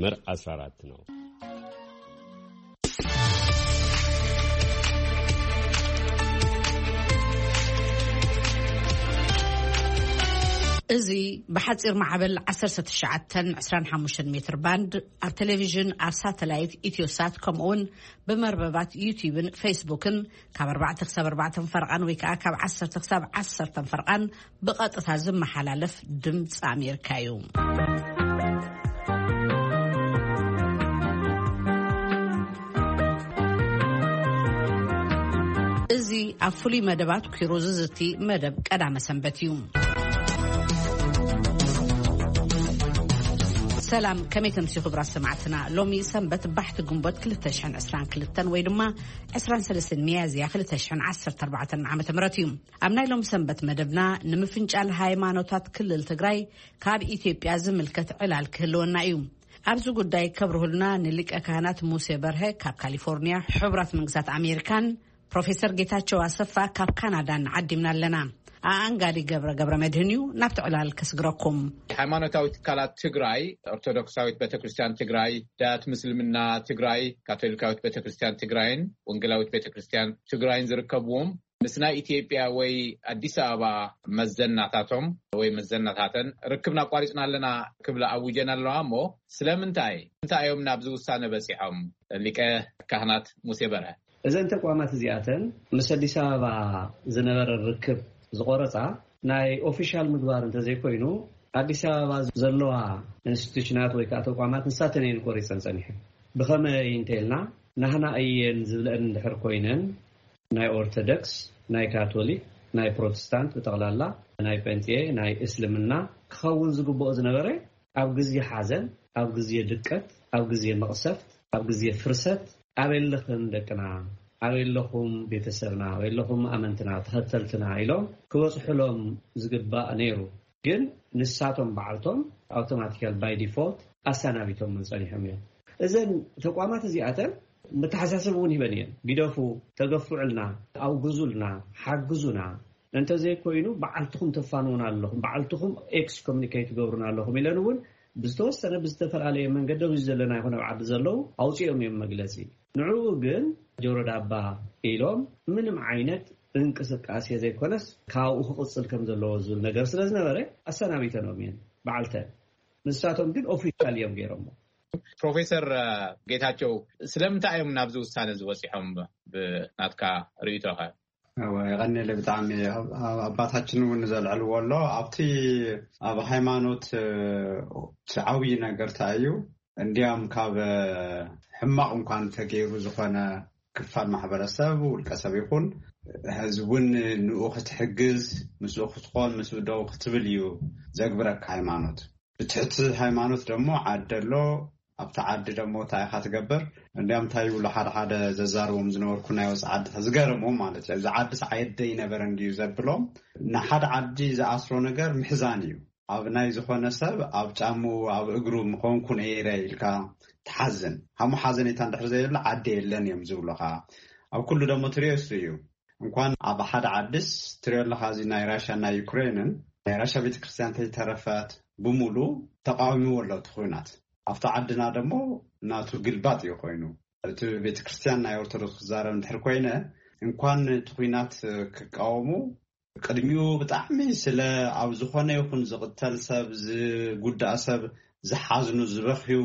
መስመር አስራ አራት ነው። እዚ ብሓጺር ማዕበል ዓሰርተ ትሽዓተን ዕስራን ሓሙሽተን ሜትር ባንድ፣ ኣብ ቴሌቪዥን፣ ኣብ ሳተላይት ኢትዮሳት፣ ከምኡውን ብመርበባት ዩቲዩብን ፌስቡክን ካብ ኣርባዕተ ክሳብ ኣርባዕተ ፈርቓን ወይ ከዓ ካብ ዓሰርተ ክሳብ ዓሰርተ ፈርቓን ብቐጥታ ዝመሓላለፍ ድምፂ ኣሜሪካ እዩ። እዚ ኣብ ፍሉይ መደባት ኲሩ ዝዝቲ መደብ ቀዳመ ሰንበት እዩ። ሰላም፣ ከመይ ተምሲ ክቡራት ሰማዕትና? ሎሚ ሰንበት ባሕቲ ግንቦት ክልተ ሽሕን ዕስራን ክልተን ወይ ድማ ዕስራን ሰለስተን ሚያዝያ ክልተ ሽሕን ዓሰርተ ኣርባዕተን ዓመተ ምህረት እዩ። ኣብ ናይ ሎም ሰንበት መደብና ንምፍንጫል ሃይማኖታት ክልል ትግራይ ካብ ኢትዮጵያ ዝምልከት ዕላል ክህልወና እዩ። ኣብዚ ጉዳይ ከብርሁልና ንሊቀ ካህናት ሙሴ በርሀ ካብ ካሊፎርኒያ ሕቡራት መንግስታት ኣሜሪካን ፕሮፌሰር ጌታቸው ኣሰፋ ካብ ካናዳን ዓዲምና ኣለና። ኣኣንጋዲ ገብረ ገብረ መድህን እዩ ናብቲ ዕላል ከስግረኩም። ሃይማኖታዊ ትካላት ትግራይ፣ ኦርቶዶክሳዊት ቤተክርስትያን ትግራይ፣ ዳያት ምስልምና ትግራይ፣ ካቶሊካዊት ቤተክርስትያን ትግራይን ወንጌላዊት ቤተክርስትያን ትግራይን ዝርከብዎም፣ ምስ ናይ ኢትዮጵያ ወይ ኣዲስ ኣበባ መዘናታቶም ወይ መዘናታተን ርክብና ኣቋሪፅና ኣለና ክብላ ኣውጀን ኣለዋ። እሞ ስለምንታይ እንታይ እዮም ናብዚ ውሳነ በፂሖም? ሊቀ ካህናት ሙሴ በርሀ። እዘን ተቋማት እዚኣተን ምስ ኣዲስ ኣበባ ዝነበረ ርክብ ዝቆረፃ ናይ ኦፊሻል ምግባር እንተዘይኮይኑ፣ ኣዲስ ኣበባ ዘለዋ ኢንስቲቱሽናት ወይ ከዓ ተቋማት ንሳተን እየን ቆሪፀን ፀኒሐን። ብኸመይ እንተኢልና፣ ናህና እየን ዝብለአን እንድሕር ኮይነን፣ ናይ ኦርቶዶክስ፣ ናይ ካቶሊክ፣ ናይ ፕሮቴስታንት ብጠቕላላ፣ ናይ ጴንጤ፣ ናይ እስልምና ክኸውን ዝግብኦ ዝነበረ፣ ኣብ ግዜ ሓዘን፣ ኣብ ግዜ ድቀት፣ ኣብ ግዜ መቕሰፍት፣ ኣብ ግዜ ፍርሰት፣ ኣበይ ኣለኽን ደቅና፣ ኣበይ ኣለኹም ቤተሰብና፣ ኣበይ ኣለኹም ኣመንትና፣ ተኸተልትና ኢሎም ክበጽሑሎም ዝግባእ ነይሩ። ግን ንሳቶም በዓልቶም ኣውቶማቲካል ባይ ዲፎልት ኣሰናቢቶምን ጸኒሖም እዮም። እዘን ተቋማት እዚኣተን መተሓሳሰቢ እውን ሂበን እየን። ግደፉ፣ ተገፍዑልና፣ ኣውግዙልና፣ ሓግዙና፣ እንተዘይኮይኑ በዓልትኹም ተፋንዉና ኣለኹም፣ በዓልትኹም ኤክስኮሙኒኬት ትገብሩና ኣለኹም ኢለን እውን ብዝተወሰነ ብዝተፈላለየ መንገዲ ኣብዚ ዘለና ይኹን ኣብ ዓዲ ዘለዉ ኣውፂኦም እዮም መግለፂ። ንዕኡ ግን ጆሮ ዳባ ኢሎም ምንም ዓይነት እንቅስቃሴ ዘይኮነስ ካብኡ ክቕፅል ከም ዘለዎ ዝብል ነገር ስለ ዝነበረ ኣሰናቢተኖም እየን በዓልተን። ንሳቶም ግን ኦፊሻል እዮም ገይሮሞ። ፕሮፌሰር ጌታቸው፣ ስለምንታይ እዮም ናብዚ ውሳነ ዝበፂሖም ብናትካ ርእይቶኸ? እወ፣ የቐንየለይ ብጣዕሚ። ኣብ-፣ ኣብ-፣ ኣባታችን እውን ዘልዕልዎ ኣሎ። ኣብቲ ኣብ ሃይማኖት፣ እ፣ እቲ ዓብዪ ነገር እንታይ እዩ? እንዲያም ካብ፣ እ፣ ሕማቕ እንኳን ተገይሩ ዝኾነ ክፋል ማሕበረሰብ፣ ውልቀ ሰብ ይኹን ህዝቢ እውን ንኡ ክትሕግዝ፣ ምስኡ ክትኾን፣ ምስኡ ደው ክትብል እዩ ዘግብረካ ሃይማኖት። ብትሕቲ ሃይማኖት ደሞ ዓዲ ኣሎ። ኣብቲ ዓዲ ደሞ እንታይ ኢኻ ትገብር? እንዲያም እንታይ ይብሉ ሓደ ሓደ ዘዛርቦም ዝነበርኩ ናይ ወፃኢ ዓዲ ዝገረሞም ማለት እዩ። እዚ ዓድስ ዓደይ ነበረ እንድዩ ዘብሎም። ንሓደ ዓዲ ዝኣስሮ ነገር ምሕዛን እዩ። ኣብ ናይ ዝኾነ ሰብ ኣብ ጫምኡ ኣብ እግሩ ምኾንኩ ነይረ ኢልካ ትሓዝን። ሃሙ ሓዘኔታ እንድሕር ዘየለ ዓዲ የለን እዮም ዝብሉኻ። ኣብ ኩሉ ደሞ ትሪኦ እሱ እዩ። እንኳን ኣብ ሓደ ዓድስ ትሪኦ ኣለኻ፣ እዚ ናይ ራሽያን ናይ ዩክሬንን ናይ ራሽያ ቤተክርስትያን ተይተረፈት ብምሉ ተቃዊምዎ ኣሎ እቲ ኹናት። ኣብቲ ዓድና ደሞ ናቱ ግልባጥ እዩ ኮይኑ። እቲ ቤተክርስትያን ናይ ኦርቶዶክስ ክዛረብ እንድሕር ኮይነ፣ እንኳን እቲ ኹናት ክቃወሙ፣ ቅድሚኡ ብጣዕሚ ስለ ኣብ ዝኾነ ይኹን ዝቕተል ሰብ፣ ዝጉዳእ ሰብ ዝሓዝኑ፣ ዝበኽዩ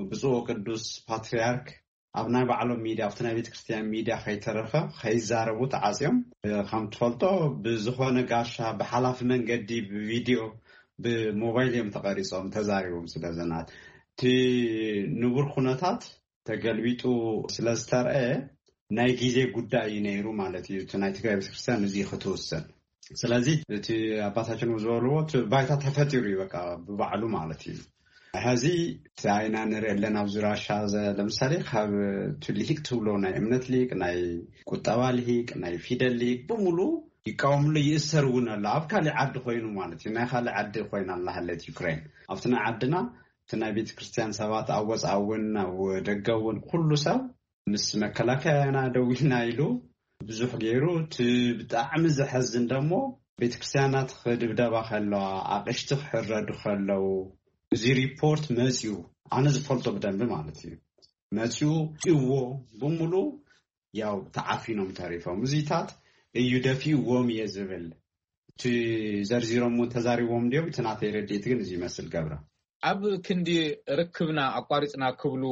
ብፁዕ ቅዱስ ፓትርያርክ ኣብ ናይ ባዕሎም ሚድያ፣ ኣብቲ ናይ ቤተክርስትያን ሚድያ ከይተረፈ ከይዛረቡ ተዓጽዮም። ከም ትፈልጦ ብዝኾነ ጋሻ ብሓላፊ መንገዲ ብቪድዮ ብሞባይል እዮም ተቐሪጾም ተዛሪቦም ስለ ዘናት። እቲ ንቡር ኩነታት ተገልቢጡ ስለ ዝተርኣየ ናይ ግዜ ጉዳይ እዩ ነይሩ ማለት እዩ። እቲ ናይ ትግራይ ቤተክርስትያን እዚ ክትውስን። ስለዚ እቲ ኣባታችን ዝበልዎ እቲ ባይታ ተፈጢሩ እዩ በቃ ብባዕሉ ማለት እዩ። ሕዚ እቲ ኣይና ንርኢ ኣለና ኣብዚ ራሻ ዘ-፣ ለምሳሌ ካብ እቲ ልሂቅ ትብሎ ናይ እምነት ሊቅ፣ ናይ ቁጠባ ልሂቅ፣ ናይ ፊደል ሊቅ ብምሉ ይቃወምሉ ይእሰር እውን ኣሎ። ኣብ ካሊእ ዓዲ ኮይኑ ማለት እዩ። ናይ ካሊእ ዓዲ ኮይና ኣላ ሃለት ዩክሬን። ኣብቲ ናይ ዓድና እቲ ናይ ቤተ ክርስቲያን ሰባት ኣብ ወፃእ እውን ኣብ ደገ እውን ኩሉ ሰብ ምስ መከላከያና ደው ኢልና ኢሉ ብዙሕ ገይሩ። እቲ ብጣዕሚ ዘሐዝን ደሞ ቤተ ክርስቲያናት ክድብደባ ከለዋ፣ ኣቕሽቲ ክሕረዱ ከለዉ፣ እዚ ሪፖርት መፅዩ ኣነ ዝፈልጦ ብደንቢ ማለት እዩ። መፂኡ እዎ ብምሉ ያው ተዓፊኖም ተሪፎም። እዚታት እዩ ደፊእዎም እየ ዝብል። እቲ ዘርዚሮም እውን ተዛሪቦም እንዲዮም። እቲ ናተይ ረድኤት ግን እዚ ይመስል። ገብረ፣ ኣብ ክንዲ ርክብና ኣቋሪፅና ክብሉ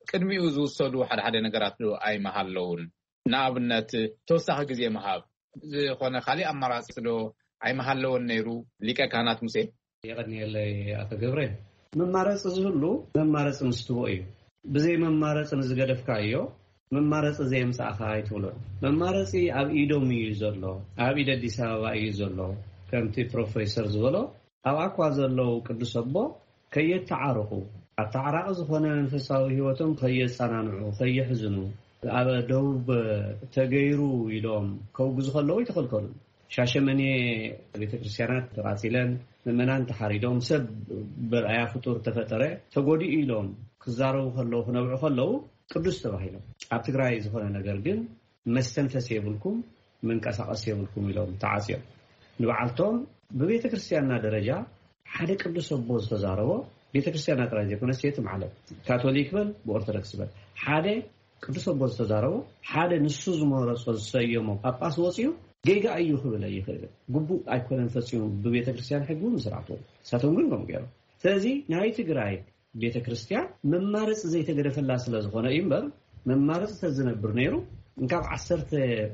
ቅድሚኡ ዝውሰዱ ሓደ ሓደ ነገራት ዶ ኣይመሃለውን? ንኣብነት ተወሳኺ ግዜ ምሃብ ዝኾነ ካሊእ ኣማራፂ ዶ ኣይመሃለወን ነይሩ? ሊቀ ካህናት ሙሴ። የቐንየለይ ኣቶ ገብረ። መማረፂ ዝህሉ መማረፂ ምስ ትቦ እዩ። ብዘይ መማረፂ ንዝገደፍካዮ መማረፂ ዘየምፃእኻ ኣይትብሎን። መማረፂ ኣብ ኢዶም እዩ ዘሎ፣ ኣብ ኢድ ኣዲስ ኣበባ እዩ ዘሎ። ከምቲ ፕሮፌሰር ዝበሎ፣ ኣብኣ እኳ ዘለዉ ቅዱስ ኣቦ ከየተዓርቑ፣ ኣተዓራቒ ዝኾነ መንፈሳዊ ህይወቶም ከየጸናንዑ፣ ከየሕዝኑ፣ ኣብ ደቡብ ተገይሩ ኢሎም ከውግዙ ከለዉ ኣይተኸልከሉን። ሻሸመኔ ቤተ ክርስቲያናት ተቓጺለን፣ ምእመናን ተሓሪዶም፣ ሰብ በርኣያ ፍጡር ተፈጠረ ተጎዲኡ ኢሎም ክዛረቡ ከለዉ፣ ክነብዑ ከለዉ ቅዱስ ተባሂሎም። ኣብ ትግራይ ዝኾነ ነገር ግን መስተንፈስ የብልኩም፣ መንቀሳቐስ የብልኩም ኢሎም ተዓጽዮም። ንበዓልቶም ብቤተ ክርስቲያንና ደረጃ ሓደ ቅዱስ ኣቦ ዝተዛረቦ፣ ቤተ ክርስቲያንና ጥራይ ዘይኮነስ የትም ዓለም፣ ካቶሊክ በል ብኦርቶዶክስ በል፣ ሓደ ቅዱስ ኣቦ ዝተዛረቦ፣ ሓደ ንሱ ዝመረጾ ዝሰየሞ ጳጳስ ወጺኡ ጌጋ እዩ ክብል ኣይኽእልን። ግቡእ ኣይኮነን ፈጺሙ ብቤተ ክርስቲያን ሕጊ እውን ስርዓት እውን። ንሳቶም ግን ከምኡ ገይሮም። ስለዚ ናይ ትግራይ ቤተ ክርስቲያን መማረፂ ዘይተገደፈላ ስለ ዝኾነ እዩ እምበር፣ መማረፂ ተዝነብር ነይሩ፣ እንካብ ዓሰርተ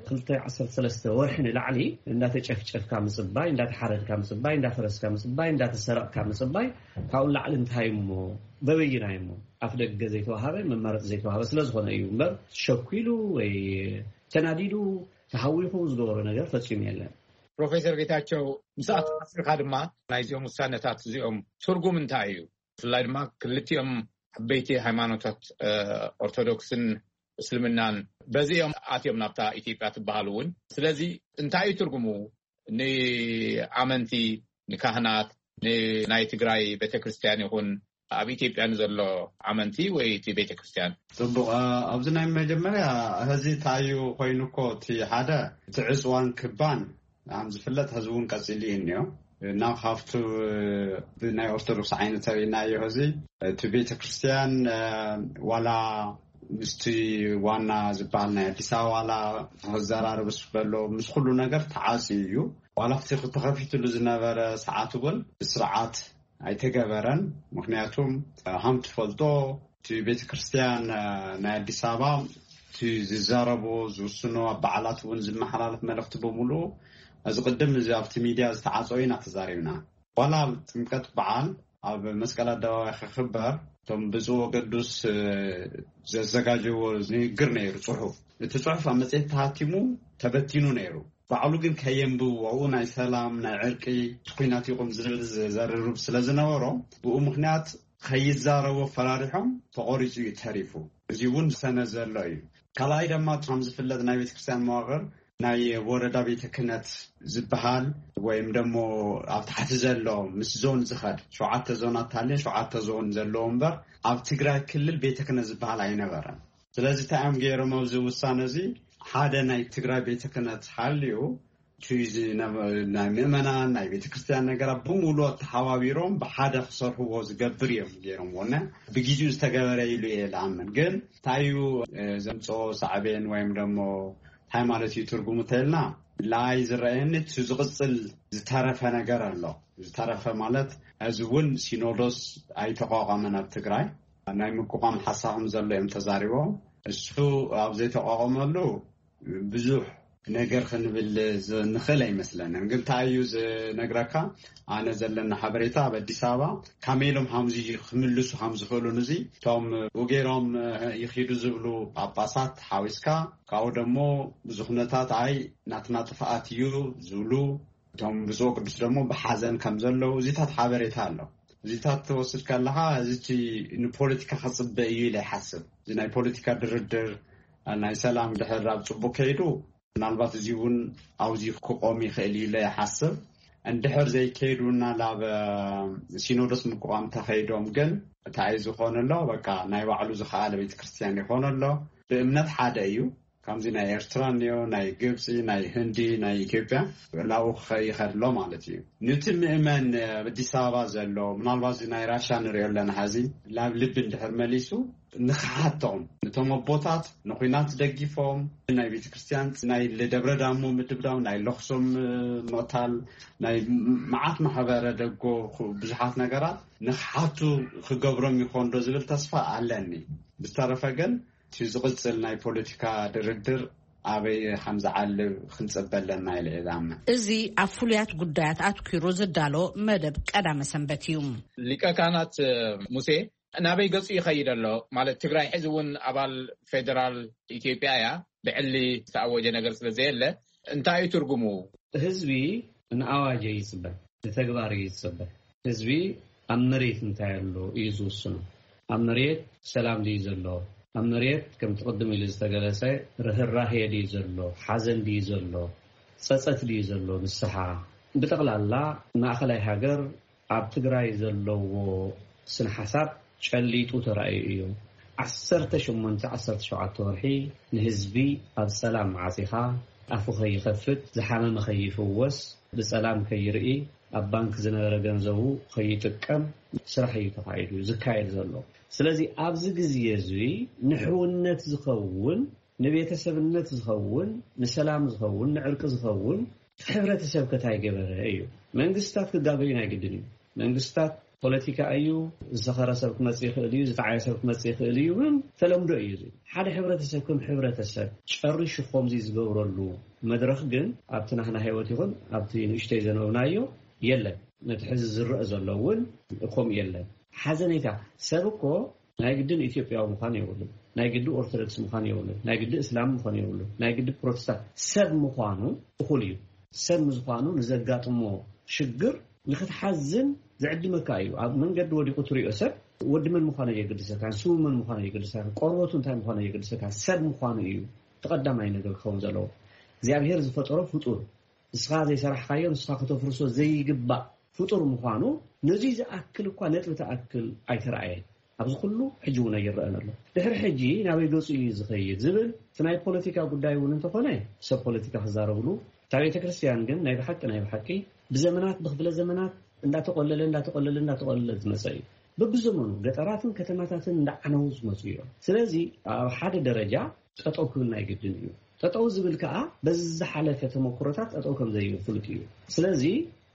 ክልተ ዓሰርተ ሰለስተ ወርሒ ንላዕሊ እንዳተጨፍጨፍካ ምፅባይ፣ እንዳተሓረድካ ምፅባይ፣ እንዳፈረስካ ምፅባይ፣ እንዳተሰረቕካ ምፅባይ፣ ካብኡ ላዕሊ እንታይ እሞ በበይናይ እሞ ኣፍ ደገ ዘይተዋሃበ፣ መማረፂ ዘይተዋሃበ ስለ ዝኾነ እዩ እምበር፣ ሸኩሉ ወይ ተናዲዱ ተሃዊኹ ዝገበሮ ነገር ፈጺሙ የለን። ፕሮፌሰር ጌታቸው፣ ምስ ኣተሓሲብካ ድማ ናይዚኦም ውሳነታት እዚኦም ትርጉም እንታይ እዩ? ብፍላይ ድማ ክልቲኦም ዓበይቲ ሃይማኖታት፣ እ፣ ኦርቶዶክስን እስልምናን በዚ እዮም ኣትዮም ናብታ ኢትዮጵያ ትበሃል እውን። ስለዚ እንታይ እዩ ትርጉሙ ንኣመንቲ፣ ንካህናት፣ ንናይ ትግራይ ቤተክርስትያን ይኹን ኣብ ኢትዮጵያ ንዘሎ ኣመንቲ ወይ እቲ ቤተክርስትያን? ጽቡቕ። እ፣ ኣብዚ ናይ መጀመርያ፣ ሕዚ እንታይ እዩ ኮይኑ እኮ፣ እቲ ሓደ፣ እቲ ዕጽዋን ክባን ከም ዝፍለጥ፣ ሕዚ እውን ቀጺሉ እዩ እኒኦ። እና ካብቱ ብናይ ኦርቶዶክስ ዓይኒ ተሪእናዮ፣ ሕዚ እቲ ቤተ ክርስቲያን፣ እ፣ ዋላ ምስቲ ዋና ዝበሃል ናይ ኣዲስ ኣበባ ዋላ ክዘራረብስ በሎ፣ ምስ ኩሉ ነገር ተዓጽዩ እዩ። ዋላ ኣብቲ ተኸፊትሉ ዝነበረ ሰዓት እውን ብስርዓት ኣይተገበረን። ምክንያቱም፣ እ፣ ከም ትፈልጦ፣ እቲ ቤተ ክርስቲያን፣ እ፣ ናይ ኣዲስ ኣበባ እቲ ዝዛረቦ፣ ዝውስኖ፣ ኣብ በዓላት እውን ዝመሓላለፍ መልእኽቲ ብምሉኡ፣ እዚ ቅድም እዚ ኣብቲ ሚድያ ዝተዓጸወ ኢና ተዛሪብና። ዋላ ኣብ ጥምቀት በዓል ኣብ መስቀል ኣደባባይ ክኽበር፣ እቶም ብፁዕ ወቅዱስ፣ እ፣ ዘዘጋጀዎ ንግግር ነይሩ፣ ጽሑፍ። እቲ ጽሑፍ ኣብ መጽሔት ተሃቲሙ ተበቲኑ ነይሩ። ባዕሉ ግን ከየንብብዎ፣ ኣብኡ ናይ ሰላም፣ ናይ ዕርቂ፣ እቲ ኲናት ይቑም ዝብል ዘ-፣ ዘርርብ ስለ ዝነበሮ፣ ብኡ ምኽንያት ከይዛረቡ ፈራሪሖም፣ ተቖሪጹ እዩ ተሪፉ። እዚ እውን ሰነ ዘሎ እዩ። ካልኣይ ድማ፣ ከም ዝፍለጥ፣ ናይ ቤተክርስትያን መዋቕር ናይ ወረዳ ቤተ ክህነት ዝበሃል ወይም ደሞ ኣብ ታሕቲ ዘሎ ምስ ዞን ዝኸድ፣ ሸውዓተ ዞናት ሃልየን፣ ሸውዓተ ዞን ዘለዎ እምበር፣ ኣብ ትግራይ ክልል ቤተ ክህነት ዝበሃል ኣይነበረን። ስለዚ እንታይ እዮም ገይሮም ኣብዚ ውሳነ እዚ? ሓደ ናይ ትግራይ ቤተ ክህነት ሃልዩ፣ እቲ ዝነበ ናይ ምእመናን፣ ናይ ቤተ ክርስቲያን ነገራት ብምሉእ ተሓባቢሮም ብሓደ ክሰርሕዎ ዝገብር እዮም ገይሮምዎ። እና ብግዜኡ ዝተገበረ ኢሉ እየ ዝኣምን። ግን እንታይ እዩ፣ እ፣ ዘምፅኦ ሳዕቤን ወይም ደሞ እንታይ ማለት እዩ ትርጉሙ ተልና፣ ንዓይ ዝረኣየኒ እቲ ዝቕፅል ዝተረፈ ነገር ኣሎ። ዝተረፈ ማለት፣ እዚ እውን ሲኖዶስ ኣይተቋቋመን ኣብ ትግራይ። ናይ ምቁቋም ሓሳብም ዘሎ እዮም ተዛሪቦም። እሱ ኣብ ዘይተቋቋመሉ ብዙሕ ነገር ክንብል ዝ-፣ ንኽእል ኣይመስለንን። ግን እንታይ እዩ ዝነግረካ፣ ኣነ ዘለና ሓበሬታ ኣብ ኣዲስ ኣበባ ከመይ ኢሎም ሃምዚ ክምልሱ ከም ዝኽእሉን፣ እዚ እቶም ብኡ ገይሮም ይኺዱ ዝብሉ ጳጳሳት ሓዊስካ፣ ካብኡ ደሞ ብዙ ኩነታት ኣይ ናትና ጥፍኣት እዩ ዝብሉ፣ እቶም ብፁዕ ቅዱስ ደሞ ብሓዘን ከም ዘለዉ እዚታት ሓበሬታ ኣሎ። እዚታት ትወስድ ከለኻ፣ እዚ እቲ ንፖለቲካ ከጽበ እዩ ኢለ ይሓስብ። እዚ ናይ ፖለቲካ ድርድር፣ ናይ ሰላም ድሕር ኣብ ጽቡቅ ከይዱ፣ ምናልባት እዚ እውን ኣብዚ ክቆም ይኽእል እዩ ኢለ ይሓስብ። እንድሕር ዘይከይዱና ናብ ሲኖዶስ ምቁቋም ተኸይዶም ግን፣ እንታይ ዝኾነ ኣሎ፣ በቃ ናይ ባዕሉ ዝኸኣለ ቤተክርስትያን ይኾነ ኣሎ። ብእምነት ሓደ እዩ፣ ከምዚ ናይ ኤርትራ እኒኦ፣ ናይ ግብፂ፣ ናይ ህንዲ፣ ናይ ኢትዮጵያ፣ ላኡ ክኸ- ይኸድሎ ማለት እዩ። ንቲ ምእመን ኣብ ኣዲስ ኣበባ ዘሎ፣ ምናልባት እዚ ናይ ራሻ ንሪኦ ኣለና ሐዚ፣ ናብ ልቢ እንድሕር መሊሱ ንክሓቶም፣ ነቶም ኣቦታት ንኩናት ደጊፎም፣ ናይ ቤተ ክርስቲያን፣ ናይ ደብረ ዳሞ ምድብዳብ፣ ናይ ለክሶም ምቕታል፣ ናይ መዓት ማሕበረ ደጎ ብዙሓት ነገራት ንክሓቱ ክገብሮም ይኾንዶ ዝብል ተስፋ ኣለኒ። ብዝተረፈ ግን እቲ ዝቕጽል ናይ ፖለቲካ ድርድር ኣበይ ከም ዝዓልብ ክንጽበ ኣለና ኢለ እየ ዝኣምን። እዚ ኣብ ፍሉያት ጉዳያት ኣትኪሩ ዝዳሎ መደብ ቀዳመ ሰንበት እዩ። ሊቀ ካህናት ሙሴ ናበይ ገጹ ይኸይድ ኣሎ? ማለት ትግራይ ሕዚ እውን ኣባል ፌደራል ኢትዮጵያ እያ። ብዕሊ ዝተኣወጀ ነገር ስለ ዘየለ እንታይ እዩ ትርጉሙ? ህዝቢ ንኣዋጅ ይጽበ፣ ንተግባር ይጽበ። ህዝቢ ኣብ መሬት እንታይ ኣሎ እዩ ዝውስኖ። ኣብ መሬት ሰላም ድዩ ዘሎ? ኣብ መሬት ከምቲ ቅድም ኢሉ ዝተገለጸ ርህራሄ ድዩ ዘሎ? ሓዘን ድዩ ዘሎ? ጸጸት ድዩ ዘሎ? ንስሓ ብጠቕላላ ማእኸላይ ሃገር ኣብ ትግራይ ዘለዎ ስነ ሓሳብ ጨሊጡ ተራእዩ እዩ። ዓሰርተ ሸሞንተ ዓሰርተ ሸውዓተ ወርሒ ንህዝቢ ኣብ ጸላም ዓጺኻ፣ ኣፉ ከይኸፍት፣ ዝሓመመ ከይፍወስ፣ ብጸላም ከይርኢ፣ ኣብ ባንክ ዝነበረ ገንዘቡ ከይጥቀም ስራሕ እዩ ተኻይዱ ዝካየድ ዘሎ። ስለዚ ኣብዚ ግዜ እዚ ንሕውነት ዝኸውን፣ ንቤተሰብነት ዝኸውን፣ ንሰላም ዝኸውን፣ ንዕርቂ ዝኸውን ሕብረተሰብ ከታይ ገበረ እዩ። መንግስታት ክጋገዩ ናይ ግድን እዩ። መንግስታት ፖለቲካ እዩ። ዝሰኸረ ሰብ ክመጽእ ይኽእል እዩ፣ ዝጠዓየ ሰብ ክመጽእ ይኽእል እዩ። ግን ተለምዶ እዩ። እዚ ሓደ ሕብረተሰብ ከም ሕብረተሰብ ጨሪሹ ከምዚ ዝገብረሉ መድረኽ ግን ኣብቲ ናህና ህይወት ይኹን ኣብቲ ንእሽተይ ዘነበብናዮ የለን። ነቲ ሕዚ ዝረአ ዘሎ እውን ከምኡ የለን። ሓዘኔታ ሰብ እኮ ናይ ግድን ኢትዮጵያዊ ምዃን የብሉን። ናይ ግዲ ኦርቶዶክስ ምዃን የብሉን። ናይ ግዲ እስላም ምዃን የብሉን። ናይ ግዲ ፕሮቴስታንት ሰብ ምዃኑ እኹል እዩ። ሰብ ምዝኳኑ ንዘጋጥሞ ሽግር ንክትሓዝን ዝዕድመካ እዩ። ኣብ መንገዲ ወዲቁ ትሪኦ ሰብ ወዲ መን ምዃኑ የገድሰካ፣ ስሙ መን ምዃኑ የገድሰካ፣ ቆርበቱ እንታይ ምዃኑ የገድሰካ። ሰብ ምዃኑ እዩ ተቐዳማይ ነገር ክኸውን ዘለዎ። እግዚኣብሔር ዝፈጠሮ ፍጡር፣ ንስኻ ዘይሰራሕካዮ፣ ንስኻ ከተፍርሶ ዘይግባእ ፍጡር ምዃኑ ነዙይ ዝኣክል እኳ ነጥቢ ተኣክል ኣይተረኣየን። ኣብዚ ኩሉ ሕጂ እውን ኣይረአን ኣሎ። ድሕሪ ሕጂ ናበይ ገጹ እዩ ዝኸይድ ዝብል እቲ ናይ ፖለቲካ ጉዳይ እውን እንተኾነ ሰብ ፖለቲካ ክዛረብሉ፣ እታ ቤተ ክርስቲያን ግን ናይ ብሓቂ ናይ ብሓቂ ብዘመናት ብክፍለ ዘመናት እንዳተቆለለ እንዳተቆለለ እንዳተቆለለ ዝመጸ እዩ። በብዘመኑ ገጠራትን ከተማታትን እንዳዓነው ዝመጹ እዮም። ስለዚ ኣብ ሓደ ደረጃ ጠጠው ክብል ናይ ግድን እዩ። ጠጠው ዝብል ከዓ በዚ ዝሓለፈ ተመክሮታት ጠጠው ከም ዘይብል ፍሉጥ እዩ። ስለዚ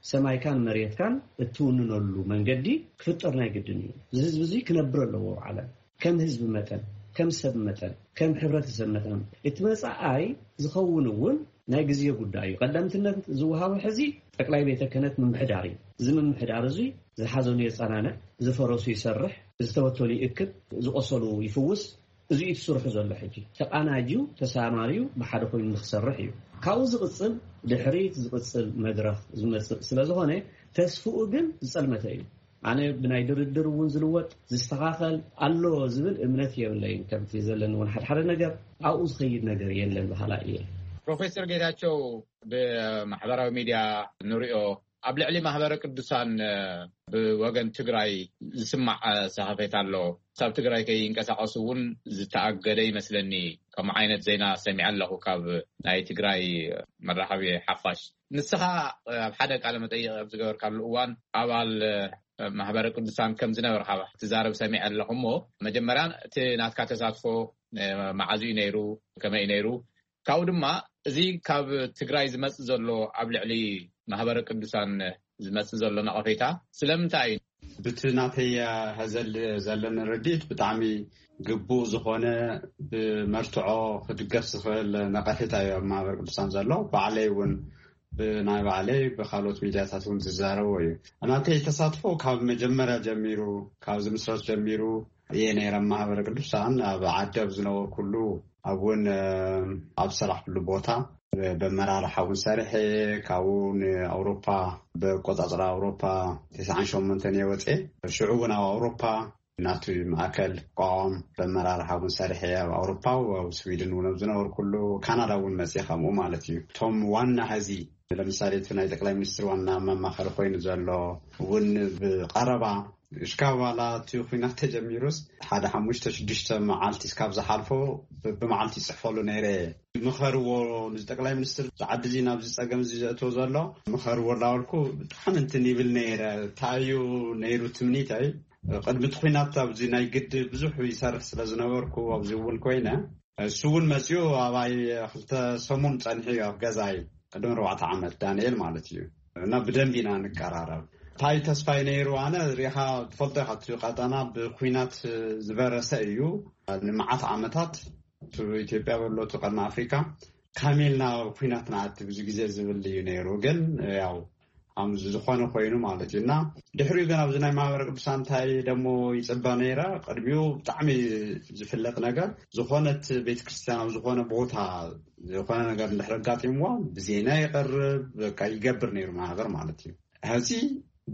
ሰማይካን መሬትካን እትውንነሉ መንገዲ ክፍጠር ናይ ግድን እዩ። እዚ ህዝቢ እዚ ክነብር ኣለዎ ኣብ ዓለም ከም ህዝቢ መጠን፣ ከም ሰብ መጠን፣ ከም ሕብረተሰብ መጠን። እቲ መጻኣይ ዝኸውን እውን ናይ ግዜ ጉዳይ እዩ። ቀዳምትነት ዝወሃቦ ሕዚ ጠቅላይ ቤተ ክህነት ምምሕዳር እዩ። እዚ ምምሕዳር እዚ ዝሓዘኑ የጸናንዕ፣ ዝፈረሱ ይሰርሕ፣ ዝተበተኑ ይእክብ፣ ዝቆሰሉ ይፍውስ። እዚ እዩ ትስርሑ ዘሎ። ሕጂ ተቃናጅዩ ተሳማርዩ ብሓደ ኮይኑ ንክሰርሕ እዩ። ካብኡ ዝቅጽል ድሕሪት ዝቅጽል መድረኽ ዝመጽእ ስለዝኾነ ተስፍኡ ግን ዝጸልመተ እዩ። ኣነ ብናይ ድርድር እውን ዝልወጥ ዝስተኻኸል ኣሎ ዝብል እምነት የብለይን። ከምቲ ዘለኒ እውን ሓድሓደ ነገር ኣብኡ ዝኸይድ ነገር የለን በሃላ እየ። ፕሮፌሰር ጌታቸው ብማሕበራዊ ሚድያ ንሪኦ ኣብ ልዕሊ ማህበረ ቅዱሳን ብወገን ትግራይ ዝስማዕ ሰኸፌት ኣሎ። ካብ ትግራይ ከይንቀሳቀሱ እውን ዝተኣገደ ይመስለኒ። ከምኡ ዓይነት ዜና ሰሚዐ ኣለኹ ካብ ናይ ትግራይ መራኸቢ ሓፋሽ። ንስኻ ኣብ ሓደ ቃለ መጠይቅ ኣብ ዝገበርካሉ እዋን ኣባል ማህበረ ቅዱሳን ከም ዝነበርካ ትዛረብ ሰሚዐ ኣለኹ። እሞ መጀመርያ እቲ ናትካ ተሳትፎ መዓዝ እዩ ነይሩ? ከመይ እዩ ነይሩ? ካብኡ ድማ እዚ ካብ ትግራይ ዝመጽእ ዘሎ ኣብ ልዕሊ ማህበረ ቅዱሳን ዝመጽእ ዘሎ ነቐፌታ ስለምንታይ እዩ? ብቲ ናተይ ሀዘል ዘለኒ ርድኢት ብጣዕሚ ግቡእ ዝኾነ ብመርትዖ ክድገፍ ዝኽእል ነቐፌታ እዩ ኣብ ማህበረ ቅዱሳን ዘሎ። ባዕለይ እውን ብናይ ባዕለይ ብካልኦት ሚድያታት እውን ዝዛረቦ እዩ። ናተይ ተሳትፎ ካብ መጀመርያ ጀሚሩ፣ ካብ ዝምስረት ጀሚሩ እየ ነይረ ኣብ ማህበረ ቅዱሳን። ኣብ ዓዲ ኣብ ዝነበርኩሉ ኣብ እውን ኣብ ዝሰራሕኩሉ ቦታ በመራርሓ እውን ሰሪሐ፣ ካብኡ ንኣውሮፓ ብኣቆጻጽራ ኣውሮፓ ተስዓን ሸሞንተን እየ ወፅኤ። ሽዑ እውን ኣብ ኣውሮፓ ናቱ ማእከል ቋቋም በመራርሓ እውን ሰሪሐ ኣብ ኣውሮፓ ኣብ ስዊድን እውን ኣብ ዝነበርኩሉ ካናዳ እውን መፅኤ ከምኡ ማለት እዩ። እቶም ዋና ሀዚ ለምሳሌ እቲ ናይ ጠቅላይ ሚኒስትር ዋና መማኸሪ ኮይኑ ዘሎ እውን ብቀረባ እሽካብ ዋላ እቲ ኩናት ተጀሚሩስ ሓደ ሓሙሽተ ሽዱሽተ መዓልቲ እስካብ ዝሓልፎ ብመዓልቲ ይፅሕፈሉ ነይረ። ምኸርዎ ንዚ ጠቅላይ ሚኒስትር፣ እዚ ዓዲ እዚ ናብዚ ፀገም እዚ ዘእትዎ ዘሎ ምኸርዎ እናበልኩ ብጣዕሚ እንትን ይብል ነይረ። እንታይ እዩ ነይሩ ትምኒተይ? ቅድሚ እቲ ኩናት ኣብዚ ናይ ግዲ ብዙሕ ይሰርሕ ስለ ዝነበርኩ ኣብዚ እውን ኮይነ፣ እሱ እውን መፅኡ ኣባይ ክልተ ሰሙን ፀኒሑ እዩ ኣብ ገዛይ፣ ቅድሚ ኣርባዕተ ዓመት ዳንኤል ማለት እዩ። እና ብደንብ ኢና ንቀራረብ። እንታይ ተስፋይ ነይሩ? ኣነ ሪኻ ትፈልጦ ኢኻ፣ እቲ ቀጠና ብኩናት ዝበረሰ እዩ። ንመዓት ዓመታት እቲ ኢትዮጵያ በሎ እቲ ቀርኒ ኣፍሪካ ካሜልና ኩናት ንኣቲ ብዙ ግዜ ዝብል እዩ ነይሩ። ግን ያው ኣም ዝኾነ ኮይኑ ማለት እዩ። እና ድሕሪኡ ግን ኣብዚ ናይ ማህበረ ቅዱሳን እንታይ ደሞ ይፅበ ነይረ? ቅድሚኡ ብጣዕሚ ዝፍለጥ ነገር፣ ዝኾነት ቤተክርስትያን ኣብ ዝኾነ ቦታ ዝኾነ ነገር እንድሕር ኣጋጢምዋ ብዜና ይቐርብ፣ በቃ ይገብር ነይሩ ማህበር ማለት እዩ። ሕዚ